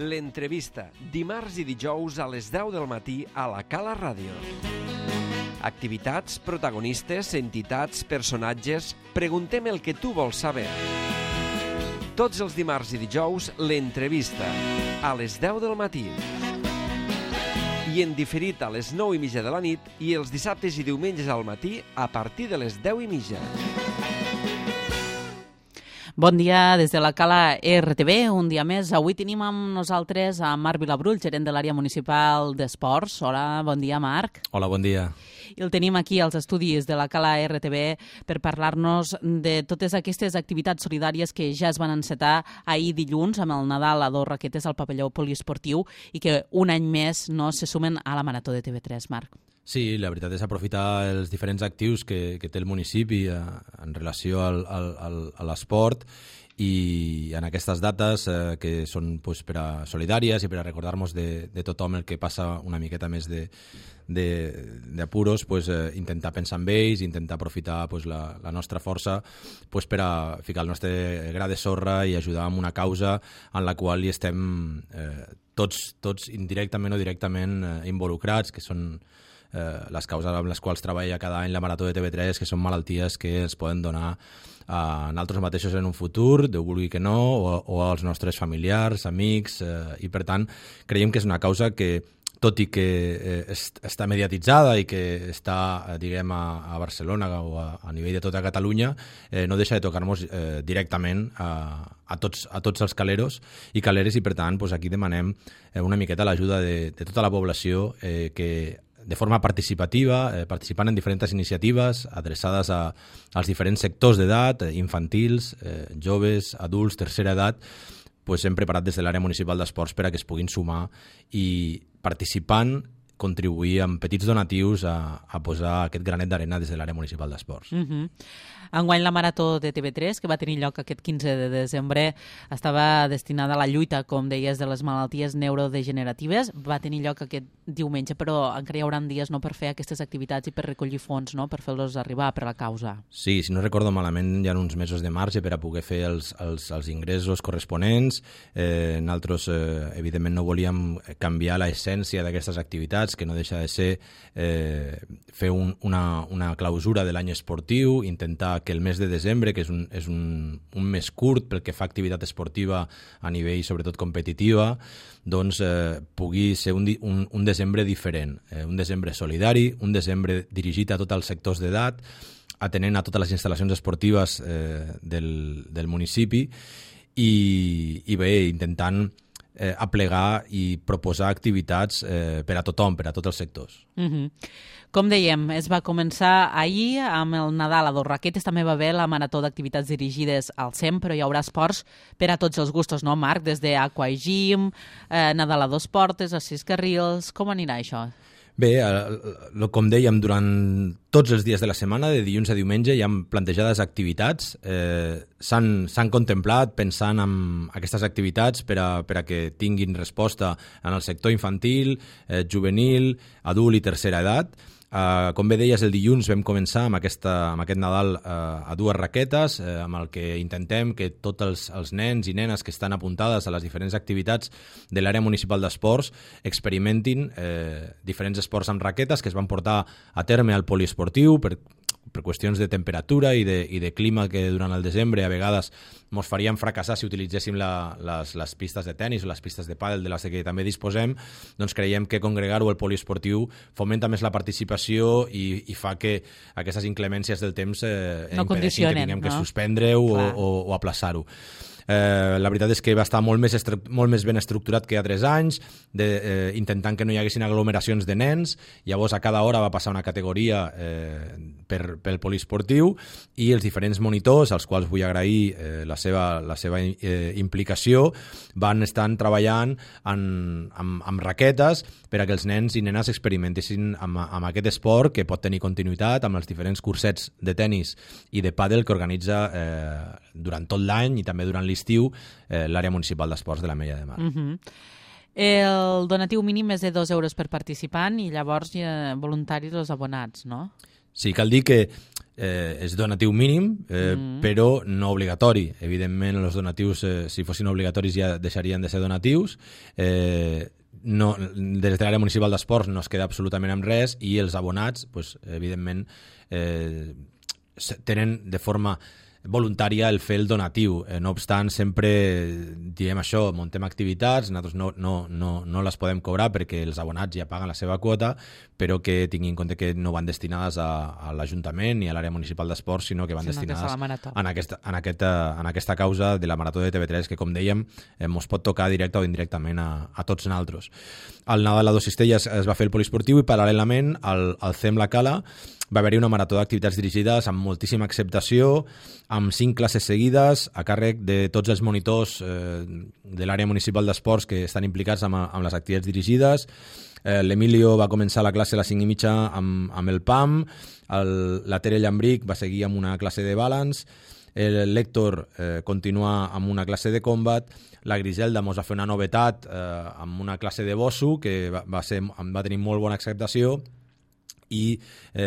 L'entrevista, dimarts i dijous a les 10 del matí a la Cala Ràdio. Activitats, protagonistes, entitats, personatges... Preguntem el que tu vols saber. Tots els dimarts i dijous, l'entrevista, a les 10 del matí. I en diferit a les 9:30 de la nit i els dissabtes i diumenges al matí a partir de les 10:30. Bon dia des de la Cala RTV, un dia més. Avui tenim amb nosaltres a Marc Vilabrull, gerent de l'àrea municipal d'esports. Hola, bon dia, Marc. Hola, bon dia. I el tenim aquí als estudis de la Cala RTV per parlar-nos de totes aquestes activitats solidàries que ja es van encetar ahir dilluns amb el Nadal a 2 raquetes al pavelló poliesportiu i que un any més se sumen a la Marató de TV3, Marc. Sí, la veritat és aprofitar els diferents actius que té el municipi en relació a l'esport i en aquestes dates que són per a solidàries i per a recordar-nos de tothom el que passa una miqueta més d'apuros, intentar pensar en ells, intentar aprofitar la nostra força per a ficar el nostre gra de sorra i ajudar en una causa en la qual hi estem tots indirectament o directament involucrats, que són les causes amb les quals treballa cada any la Marató de TV3, que són malalties que es poden donar a nosaltres mateixos en un futur, Déu vulgui que no, o als nostres familiars, amics, i per tant creiem que és una causa que, tot i que està mediatitzada i que està, diguem, a Barcelona o a nivell de tota Catalunya, no deixa de tocar-nos directament a tots els caleros i caleres, i per tant aquí demanem una miqueta l'ajuda de tota la població que de forma participativa, participant en diferents iniciatives adreçades als diferents sectors d'edat, infantils, joves, adults, tercera edat, hem preparat des de l'àrea municipal d'esports per a que es puguin sumar i participant contribuir amb petits donatius a posar aquest granet d'arena des de l'àrea municipal d'esports. Enguany la Marató de TV3, que va tenir lloc aquest 15 de desembre, estava destinada a la lluita, com deies, de les malalties neurodegeneratives. Va tenir lloc aquest diumenge, però encara hi haurà dies per fer aquestes activitats i per recollir fons, per fer-los arribar per la causa. Sí, si no recordo malament, hi ha uns mesos de marge per a poder fer els ingressos corresponents. Nosaltres, evidentment, no volíem canviar l'essència d'aquestes activitats, que no deixa de ser fer una clausura de l'any esportiu, intentar que el mes de desembre, que és un mes curt pel que fa a activitat esportiva a nivell sobretot competitiva, pugui ser un desembre diferent, un desembre solidari, un desembre dirigit a tots els sectors d'edat, atenent a totes les instal·lacions esportives del municipi i bé, intentant aplegar i proposar activitats per a tothom, per a tots els sectors. Com dèiem, es va començar ahir amb el Nadal a 2 raquetes, també va haver la Marató d'activitats dirigides al SEM, però hi haurà esports per a tots els gustos, no, Marc? Des d'Aqua i Gym, Nadal a 2 portes, a 6 carrils... Com anirà això? Bé, com dèiem, durant tots els dies de la setmana, de dilluns a diumenge, hi ha plantejades activitats. S'han contemplat pensant en aquestes activitats per a que tinguin resposta en el sector infantil, juvenil, adult i tercera edat. Com bé deies, el dilluns vam començar amb aquest Nadal a 2 raquetes, amb el que intentem que tots els nens i nenes que estan apuntades a les diferents activitats de l'àrea municipal d'esports experimentin diferents esports amb raquetes que es van portar a terme al poliesportiu per qüestions de temperatura i de clima, que durant el desembre a vegades ens farien fracassar si utilitzéssim les pistes de tennis o les pistes de pàdel de les que també disposem. Doncs creiem que congregar-ho al poliesportiu fomenta més la participació i fa que aquestes inclemències del temps impedeixin que tinguem que suspendre-ho o aplaçar-ho. La veritat és que va estar molt més ben estructurat que altres anys, intentant que no hi haguessin aglomeracions de nens. Llavors a cada hora va passar una categoria pel poliesportiu i els diferents monitors, als quals vull agrair la seva implicació, van estar treballant amb raquetes per a que els nens i nenes experimentessin amb aquest esport, que pot tenir continuïtat amb els diferents cursets de tennis i de pàdel que organitza durant tot l'any i també durant l'estiu l'àrea municipal d'esports de l'Ametlla de Mar. El donatiu mínim és de 2 euros per participant i llavors voluntaris els abonats, no? Sí, cal dir que és donatiu mínim, però no obligatori. Evidentment, els donatius, si fossin obligatoris, ja deixarien de ser donatius. No, des de l'àrea municipal d'esports no es queda absolutament amb res i els abonats, pues, evidentment, tenen de forma voluntària el fer el donatiu. No obstant, sempre diem això, muntem activitats, nosaltres no les podem cobrar perquè els abonats ja paguen la seva quota, però que tinguin en compte que no van destinades a l'Ajuntament ni a l'àrea municipal d'esports, sinó que van destinades en aquesta causa de la Marató de TV3, que, com dèiem, ens pot tocar directe o indirectament a tots nosaltres. Al Nadal a Dos Cistelles es va fer el poliesportiu i, paral·lelament, al CEM La Cala va haver-hi una marató d'activitats dirigides amb moltíssima acceptació, amb 5 classes seguides, a càrrec de tots els monitors de l'àrea municipal d'esports que estan implicats amb les activitats dirigides. L'Emilio va començar la classe a les 5:30 amb el PAM, la Tere Llambric va seguir amb una classe de balance, l'Héctor continua amb una classe de combat, la Griselda ens va fer una novetat amb una classe de bosso que va tenir molt bona acceptació, i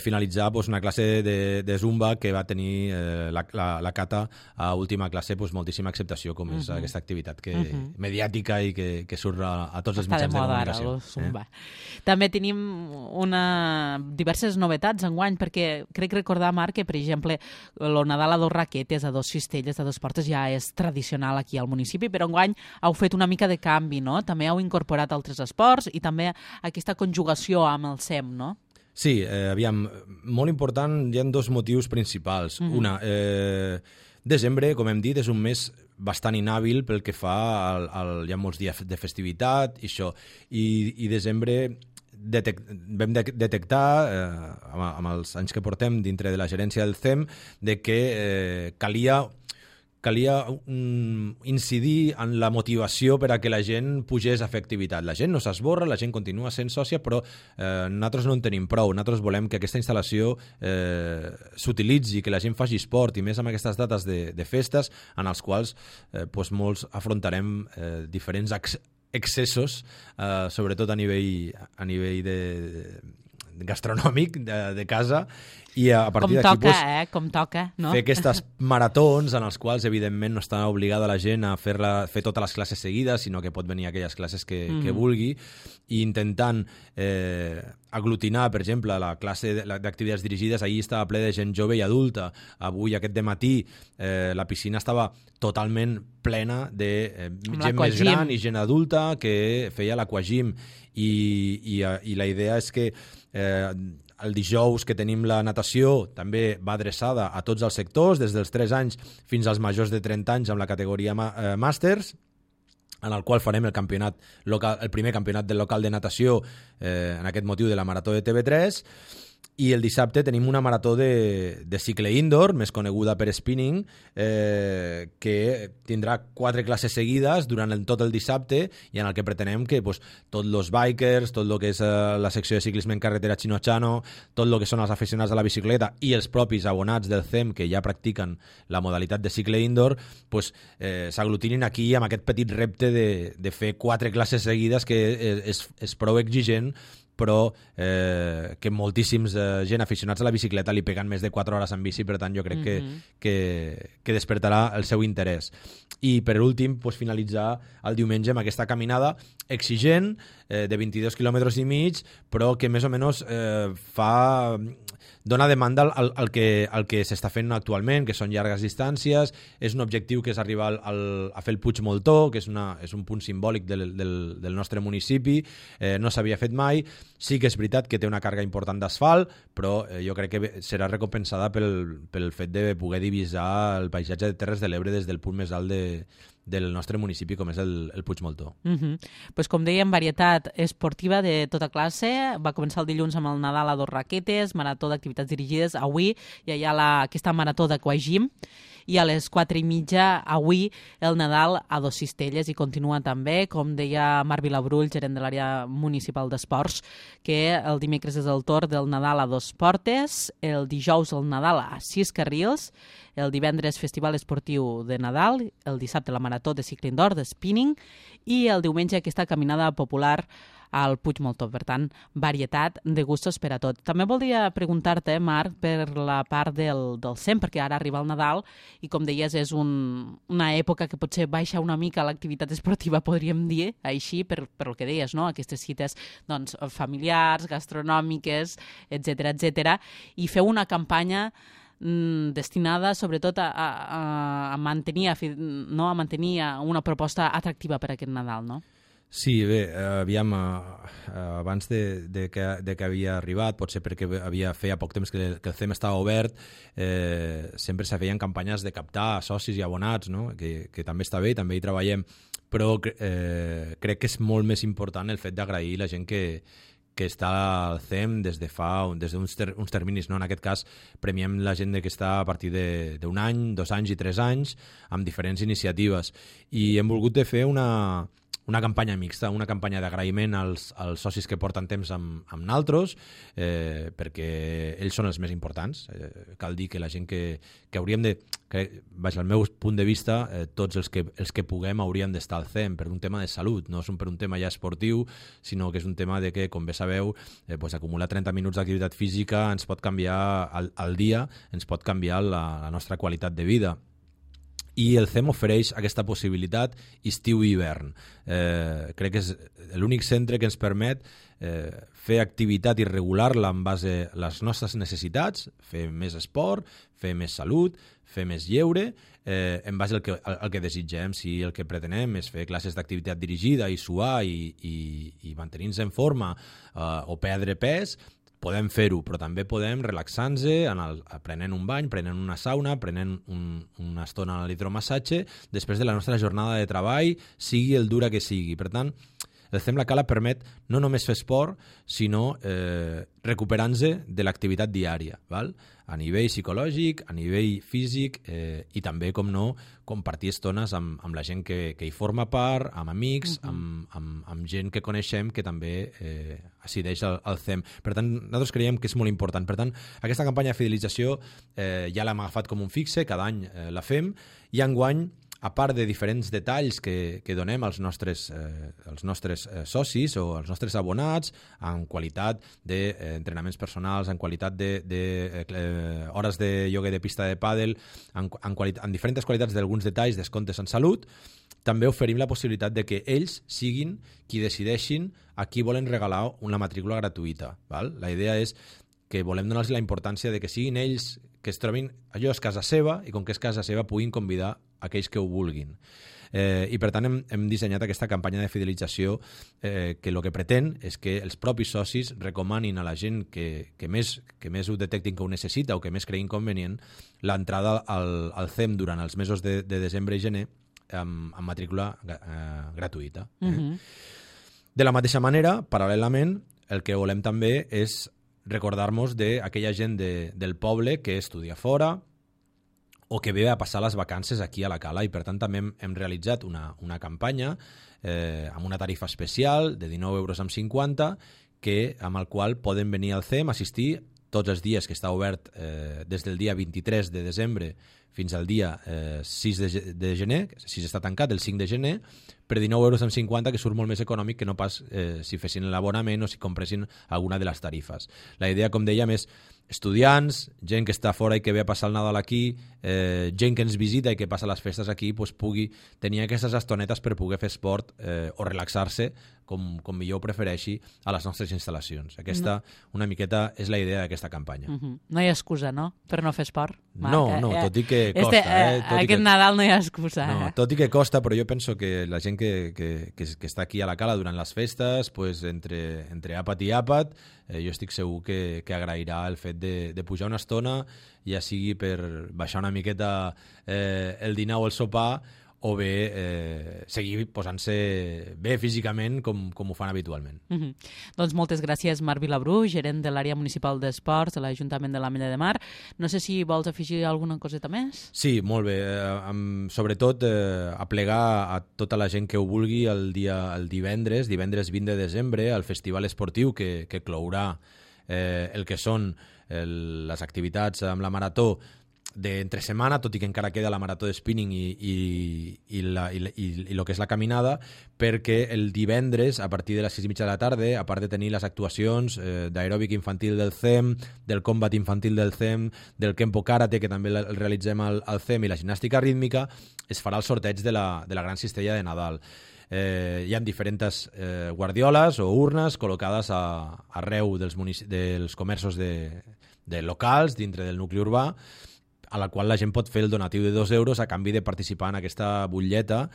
finalitzar una classe de zumba que va tenir la Cata a última classe, moltíssima acceptació, com és aquesta activitat mediàtica i que surt a tots els mitjans de comunicació. Zumba. També tenim diverses novetats enguany, perquè crec recordar, Marc, que, per exemple, el Nadal a Dos Raquetes, a Dos Cistelles, a Dos Portes ja és tradicional aquí al municipi, però enguany heu fet una mica de canvi, no? També heu incorporat altres esports i també aquesta conjugació amb el CEM, no? Sí, aviam, molt important, hi ha 2 motius principals. Una, desembre, com hem dit, és un mes bastant inhàbil pel que fa hi ha molts dies de festivitat i això, i desembre vam detectar, amb els anys que portem dintre de la gerència del CEM, de que calia incidir en la motivació per a que la gent pugés a fer activitat. La gent no s'esborra, la gent continua sent sòcia, però nosaltres no en tenim prou. Nosaltres volem que aquesta instal·lació s'utilitzi, que la gent faci esport, i més amb aquestes dates de festes en els quals molts afrontarem diferents excessos, sobretot a nivell gastronòmic de casa, i a partir d'aquí com toca, no? Fer aquestes maratons en els quals evidentment no està obligada la gent a fer totes les classes seguides, sinó que pot venir aquelles classes que vulgui, i intentant aglutinar, per exemple, la classe d'activitats dirigides. Ahir estava ple de gent jove i adulta. Avui, aquest dematí, la piscina estava totalment plena de gent més gran i gent adulta que feia l'aquagym, i la idea és que el dijous que tenim la natació també va adreçada a tots els sectors, des dels 3 anys fins als majors de 30 anys amb la categoria Màsters, en el qual farem el primer campionat del local de natació en aquest motiu de la Marató de TV3. I el dissabte tenim una marató de cicle indoor, més coneguda per spinning, que tindrà 4 classes seguides durant tot el dissabte, i en el que pretenem que tots els bikers, tot el que és la secció de ciclisme en carretera Chino-Chano, tot el que són els aficionats a la bicicleta i els propis abonats del CEM que ja practiquen la modalitat de cicle indoor, s'aglutinin aquí amb aquest petit repte de fer 4 classes seguides, que és prou exigent, però que moltíssims gent aficionats a la bicicleta li peguen més de 4 hores en bici, per tant jo crec que despertarà el seu interès. I per últim, finalitzar el diumenge amb aquesta caminada exigent de 22 quilòmetres i mig, però que més o menys dona demanda al que s'està fent actualment, que són llargues distàncies. És un objectiu que és arribar a fer el Puig Moltó, que és un punt simbòlic del nostre municipi. No s'havia fet mai. Sí que és veritat que té una càrrega important d'asfalt, però jo crec que serà recompensada pel fet de poder divisar el paisatge de Terres de l'Ebre des del punt més alt del nostre municipi, com és el Puig Moltó. Com dèiem, varietat esportiva de tota classe. Va començar el dilluns amb el Nadal a Dos Raquetes, marató d'activitats dirigides. Avui hi ha aquesta marató d'aquagym, i a les 4:30 avui el Nadal a Dos Cistelles, i continua també, com deia Marc Vilabrull, gerent de l'àrea municipal d'esports, que el dimecres és el torn del Nadal a Dos Portes, el dijous el Nadal a 6 carrils, el divendres Festival Esportiu de Nadal, el dissabte la Marató de Cicle Indoor, de Spinning, i el diumenge aquesta caminada popular al Puig Moltó. Per tant, varietat de gustos per a tot. També voldria preguntar-te, Marc, per la part del CEM, perquè ara arriba el Nadal i, com deies, és una època que potser baixa una mica l'activitat esportiva, podríem dir, així, per el que deies, no? Aquestes cites doncs, familiars, gastronòmiques, etc. I feu una campanya destinada sobretot a mantenir una proposta atractiva per aquest Nadal, no? Sí, bé, aviam, abans de que havia arribat, potser perquè feia poc temps que el CEM estava obert, sempre se feien campanyes de captar socis i abonats, no? que també està bé i també hi treballem, però crec que és molt més important el fet d'agrair la gent que està al CEM des d'uns terminis, no? En aquest cas premiem la gent que està a partir d'un any, 2 anys i 3 anys amb diferents iniciatives, i hem volgut de fer una campanya mixta, una campanya d'agraïment als socis que porten temps amb naltros, perquè ells són els més importants. Cal dir que la gent que hauríem de... Al meu punt de vista, tots els que puguem haurien d'estar al CEM per un tema de salut, no per un tema ja esportiu, sinó que és un tema de que, com bé sabeu, acumular 30 minuts d'activitat física ens pot canviar al dia, ens pot canviar la nostra qualitat de vida. I el CEM ofereix aquesta possibilitat estiu i hivern. Crec que és l'únic centre que ens permet fer activitat i regular-la en base a les nostres necessitats, fer més esport, fer més salut, fer més lleure, en base al que desitgem. Si el que pretenem és fer classes d'activitat dirigida i suar i mantenir-nos en forma o perdre pes, podem fer-ho, però també podem relaxar-nos prenent un bany, prenent una sauna, prenent una estona a l'hidromassatge després de la nostra jornada de treball, sigui el dura que sigui. Per tant, el CEM La Cala permet no només fer esport, sinó recuperar-nos de l'activitat diària, val? A nivell psicològic, a nivell físic i també, com no, compartir estones amb la gent que hi forma part, amb amics, amb gent que coneixem que també assideix al CEM. Per tant, nosaltres creiem que és molt important. Per tant, aquesta campanya de fidelització ja l'hem agafat com un fixe, cada any la fem, i enguany, a part de diferents detalls que donem als nostres socis o als nostres abonats, en qualitat d'entrenaments personals, en qualitat d'hores de ioga i de pista de pàdel, en diferents qualitats d'alguns detalls, descomptes en salut, també oferim la possibilitat de que ells siguin qui decideixin a qui volen regalar una matrícula gratuïta. Val? La idea és que volem donar-los la importància de que siguin ells que es trobin, allò és casa seva, i com que és casa seva puguin convidar aquells que ho vulguin. I per tant hem dissenyat aquesta campanya de fidelització que el que pretén és que els propis socis recomanin a la gent que més ho detectin que ho necessita o que més creguin convenient l'entrada al CEM durant els mesos de desembre i gener amb matrícula gratuïta. De la mateixa manera, paral·lelament, el que volem també és recordar-nos d'aquella gent del poble que estudia fora o que ve a passar les vacances aquí a la Cala, i per tant també hem realitzat una campanya amb una tarifa especial de 19,50 €, amb el qual poden venir al CEM, assistir tots els dies que està obert des del dia 23 de desembre fins al dia 6 de gener, si està tancat el 5 de gener, per 19,50 €, que surt molt més econòmic que no pas si fessin l'abonament o si compressin alguna de les tarifes. La idea, com dèiem, és estudiants, gent que està fora i que ve a passar el Nadal aquí, gent que ens visita i que passa les festes aquí, doncs pugui tenir aquestes estonetes per poder fer esport o relaxar-se, com millor ho prefereixi, a les nostres instal·lacions. Aquesta, una miqueta, és la idea d'aquesta campanya. No hi ha excusa, no?, per no fer esport. No, tot i que costa. Aquest Nadal no hi ha excusa. No, tot i que costa, però jo penso que la gent que està aquí a la Cala durant les festes, pues, entre àpat i àpat, jo estic segur que agrairà el fet de pujar una estona, ja sigui per baixar una miqueta el dinar o el sopar, o bé seguir posant-se bé físicament com ho fan habitualment. Doncs moltes gràcies, Marc Vilabrú, gerent de l'àrea municipal d'esports de l'Ajuntament de l'Ametlla de Mar. No sé si vols afegir alguna coseta més? Sí, molt bé. Sobretot aplegar a tota la gent que ho vulgui el divendres 20 de desembre, al festival esportiu que clourà el que són les activitats amb la Marató d'entre setmana, tot i que encara queda la marató de spinning i el que és la caminada, perquè el divendres, a partir de les 6:30 de la tarda, a part de tenir les actuacions d'aeròbic infantil del CEM, del combat infantil del CEM, del Kempo Karate, que també el realitzem al CEM, i la gimnàstica rítmica, es farà el sorteig de la gran cistella de Nadal. Hi ha diferents guardioles o urnes col·locades arreu dels comerços de locals dintre del nucli urbà, a la qual la gent pot fer el donatiu de 2 euros a canvi de participar en aquesta butlleta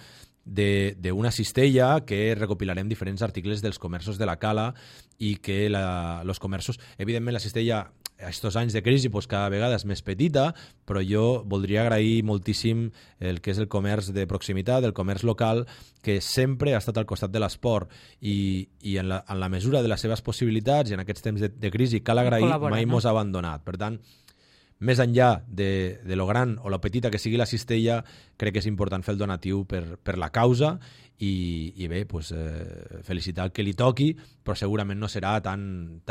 d'una cistella que recopilarem diferents articles dels comerços de la cala i que els comerços... Evidentment, la cistella, aquests anys de crisi, pues, cada vegada és més petita, però jo voldria agrair moltíssim el que és el comerç de proximitat, el comerç local, que sempre ha estat al costat de l'esport i en la mesura de les seves possibilitats, i en aquests temps de crisi cal agrair, mai mos ha abandonat. Per tant, més enllà de lo gran o lo petita que sigui la cistella, crec que és important fer el donatiu per la causa i bé, pues, felicitar el que li toqui, però segurament no serà tan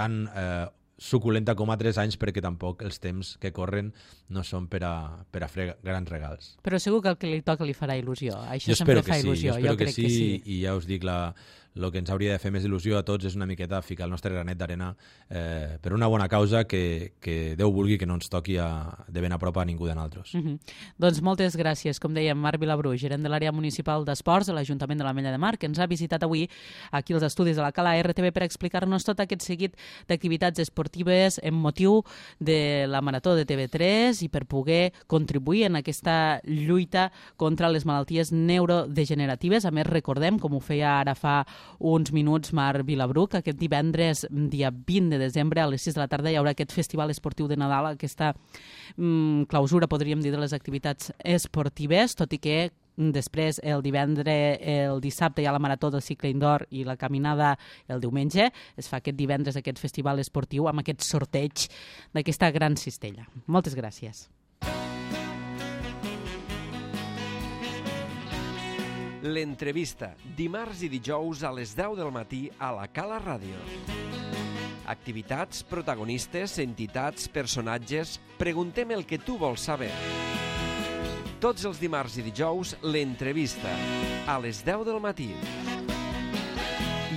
suculenta com a 3 anys, perquè tampoc els temps que corren no són per a fer grans regals. Però segur que el que li toca li farà il·lusió. Això jo sempre fa il·lusió. Jo espero que sí, i ja us dic, el que ens hauria de fer més il·lusió a tots és una miqueta ficar el nostre granet d'arena per una bona causa que Déu vulgui que no ens toqui de ben a prop a ningú de nosaltres. Doncs moltes gràcies, com dèiem, Marc Vilabrú, gerent de l'àrea municipal d'esports de l'Ajuntament de l'Ametlla de Mar, que ens ha visitat avui aquí als estudis de la Cala RTV per explicar-nos tot aquest seguit d'activitats esportives en motiu de la Marató de TV3 i per poder contribuir en aquesta lluita contra les malalties neurodegeneratives. A més, recordem, com ho feia ara fa uns minuts Marc Vilabrú, que aquest divendres, dia 20 de desembre, a les 6 de la tarda, hi haurà aquest festival esportiu de Nadal, aquesta clausura, podríem dir, de les activitats esportives, tot i que després, el dissabte hi ha la marató del cicle indoor i la caminada el diumenge. Es fa aquest divendres aquest festival esportiu amb aquest sorteig d'aquesta gran cistella. Moltes gràcies. L'entrevista, dimarts i dijous a les 10 del matí a la Cala Ràdio. Activitats, protagonistes, entitats, personatges... Preguntem el que tu vols saber. Tots els dimarts i dijous, l'entrevista, a les 10 del matí.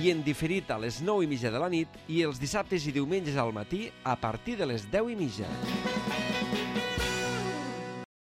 I en diferit a les 9:30 de la nit i els dissabtes i diumenges al matí a partir de les 10:30.